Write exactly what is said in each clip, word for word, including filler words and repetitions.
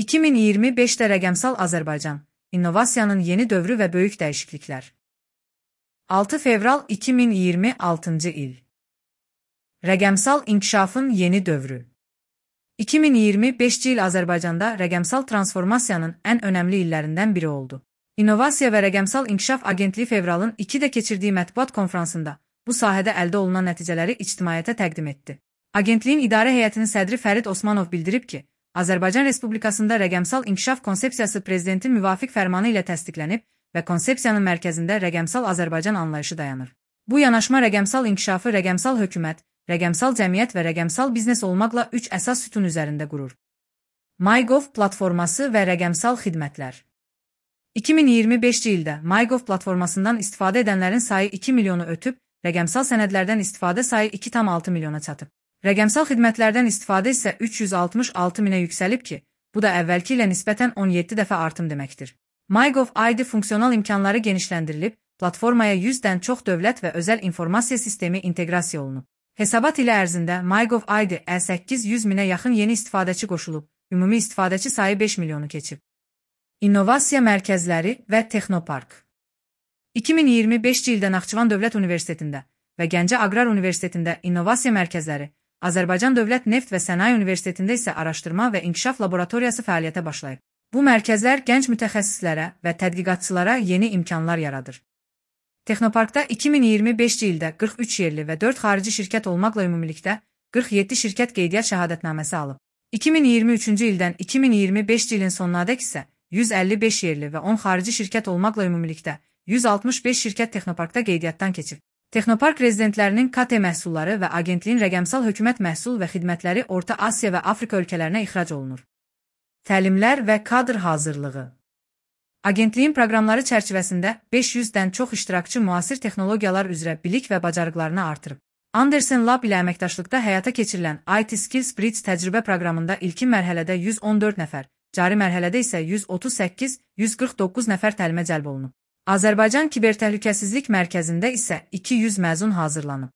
iki min iyirmi beşdə Rəqəmsal Azərbaycan, innovasiyanın yeni dövrü və böyük dəyişikliklər. altı fevral iki min iyirmi altıncı il. Rəqəmsal inkişafın yeni dövrü. iki min iyirmi beşinci il Azərbaycanda rəqəmsal transformasiyanın ən önəmli illərindən biri oldu. İnnovasiya və Rəqəmsal İnkişaf Agentliyi fevralın ikidə keçirdiyi mətbuat konfransında bu sahədə əldə olunan nəticələri ictimaiyyətə təqdim etdi. Agentliyin idarə heyətinin sədri Fərid Osmanov bildirib ki, Azərbaycan Respublikasında rəqəmsal inkişaf konsepsiyası prezidentin müvafiq fərmanı ilə təsdiqlənib və konsepsiyanın mərkəzində rəqəmsal Azərbaycan anlayışı dayanır. Bu yanaşma rəqəmsal inkişafı rəqəmsal hökumət, rəqəmsal cəmiyyət və rəqəmsal biznes olmaqla üç əsas sütun üzərində qurur. MyGov platforması və rəqəmsal xidmətlər. iki min iyirmi beşinci ildə MyGov platformasından istifadə edənlərin sayı iki milyonu ötüb, rəqəmsal sənədlərdən istifadə sayı iki tam altı milyona çatıb. Rəqəmsal xidmətlərdən istifadə isə üç yüz altmış altı minə yüksəlib ki, bu da əvvəlki ilə nisbətən on yeddi dəfə artım deməkdir. MyGov I D funksional imkanları genişləndirilib, platformaya yüzdən çox dövlət və özəl informasiya sistemi inteqrasiya olunub. Hesabat ilə ərzində MyGov I D ə səkkiz yüz minə yaxın yeni istifadəçi qoşulub, ümumi istifadəçi sayı beş milyonu keçib. İnnovasiya mərkəzləri və Texnopark. iki min iyirmi beşinci ildə Naxçıvan Dövlət Universitetində və Gəncə Aqrar Universitetində innovasiya mərkəzləri, Azərbaycan Dövlət Neft və Sənaye Universitetində isə araşdırma və inkişaf laboratoriyası fəaliyyətə başlayıb. Bu mərkəzlər gənc mütəxəssislərə və tədqiqatçılara yeni imkanlar yaradır. Texnoparkda iki min iyirmi beşinci ildə qırx üç yerli və dörd xarici şirkət olmaqla ümumilikdə qırx yeddi şirkət qeydiyyat şəhadətnaməsi alıb. iki min iyirmi üçüncü ildən iki min iyirmi beşinci ilin sonunadək isə yüz əlli beş yerli və on xarici şirkət olmaqla ümumilikdə yüz altmış beş şirkət Texnoparkda qeydiyyatdan keçib. Texnopark rezidentlərinin K T məhsulları və agentliyin rəqəmsal hökumət məhsul və xidmətləri Orta Asiya və Afrika ölkələrinə ixrac olunur. Təlimlər və kadr hazırlığı. Agentliyin proqramları çərçivəsində beş yüzdən çox iştirakçı müasir texnologiyalar üzrə bilik və bacarıqlarını artırıb. Anderson Lab ilə əməkdaşlıqda həyata keçirilən I T Skills Bridge təcrübə proqramında ilkin mərhələdə yüz on dörd nəfər, cari mərhələdə isə yüz otuz səkkiz yüz qırx doqquz nəfər təlimə cəlb olunub. Azərbaycan Kibertəhlükəsizlik Mərkəzində isə iki yüz məzun hazırlanıb.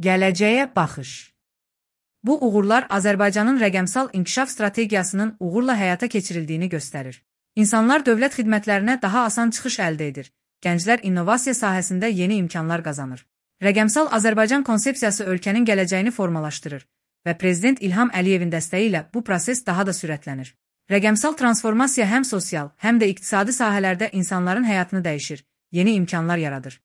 Gələcəyə baxış. Bu uğurlar Azərbaycanın rəqəmsal inkişaf strategiyasının uğurla həyata keçirildiyini göstərir. İnsanlar dövlət xidmətlərinə daha asan çıxış əldə edir, gənclər innovasiya sahəsində yeni imkanlar qazanır. Rəqəmsal Azərbaycan konsepsiyası ölkənin gələcəyini formalaşdırır və Prezident İlham Əliyevin dəstəyi ilə bu proses daha da sürətlənir. Rəqəmsal transformasiya həm sosial, həm də iqtisadi sahələrdə insanların həyatını dəyişir, yeni imkanlar yaradır.